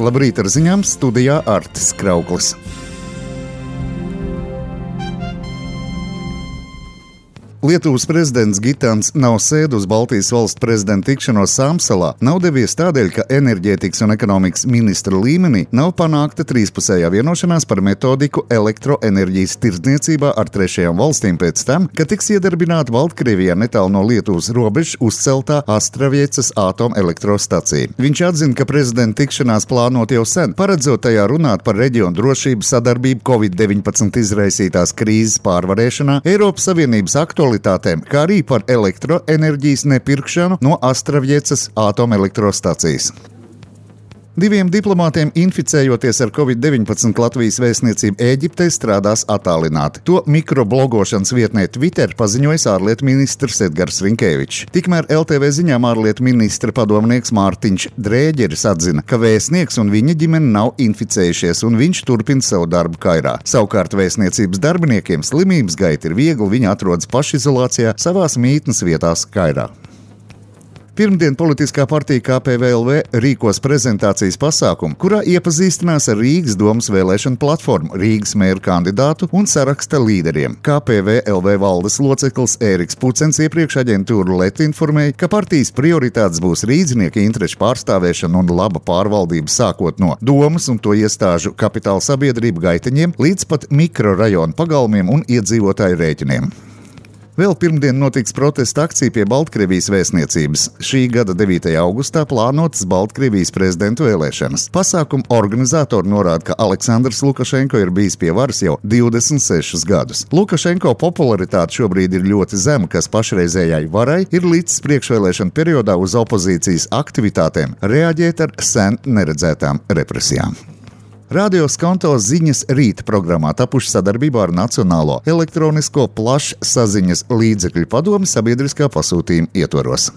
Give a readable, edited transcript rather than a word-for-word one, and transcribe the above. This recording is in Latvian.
Labrīt ar ziņām, studijā Artis Krauklis. Lietuvas prezidents Gitāns Nausēda uz Baltijas valstu prezidenta tikšanos Sāmsalā nav devies tādēļ, ka enerģētikas un ekonomikas ministra līmenī nav panākta trīspusējā vienošanās par metodiku elektroenerģijas tirdzniecībā ar trešajām valstīm pēc tam, ka tiks iedarbināta Baltkrievijā netālu no Lietuvas robežas uzceltā Astraviecas atomelektrostacija. Viņš atzina, ka prezidenta tikšanās plānot jau sen, paredzot tajā runāt par reģionu drošību, sadarbību Covid-19 izraisītās krīzes pārvarēšanā, Eiropas Savienības aktualitātēm, kā arī par elektroenerģijas nepirkšanu no Astraviecas atomelektrostacijas. Diviem diplomātiem inficējoties ar Covid-19 Latvijas vēstniecība Ēģiptē strādās attālināti. To mikroblogošanas vietnē Twitter paziņojis ārlietu ministrs Edgars Rinkēvičs. Tikmēr LTV ziņām ārlietu ministra padomnieks Mārtiņš Drēģeris atzina, ka vēstnieks un viņa ģimene nav inficējušies un viņš turpina savu darbu Kairā. Savukārt vēstniecības darbiniekiem slimības gaita ir viegli, viņi atrodas pašizolācijā savās mītnes vietās Kairā. Pirmdien politiskā partija KPVLV rīkos prezentācijas pasākumu, kurā iepazīstinās ar Rīgas domas vēlēšanu platformu, Rīgas mēra kandidātu un saraksta līderiem. KPVLV valdes loceklis Ēriks Pucens iepriekš aģentūru LET informēja, ka partijas prioritātes būs rīdznieka interešu pārstāvēšana un laba pārvaldība sākot no domas un to iestāžu kapitāla sabiedrību gaiteņiem līdz pat mikrorajonu pagalmiem un iedzīvotāju rēķiniem. Vēl pirmdien notiks protesta akcija pie Baltkrievijas vēstniecības. Šī gada 9. augustā plānotas Baltkrievijas prezidenta vēlēšanas. Pasākuma organizatori norāda, ka Aleksandrs Lukašenko ir bijis pie varas jau 26 gadus. Lukašenko popularitāte šobrīd ir ļoti zema, kas pašreizējai varai ir līdz priekšvēlēšana periodā uz opozīcijas aktivitātēm reaģēt ar sen neredzētām represijām. Radio Skonto ziņas rīta programmā tapuši sadarbībā ar Nacionālo elektronisko plašsaziņas līdzekļu padomi sabiedriskā pasūtījuma ietvaros.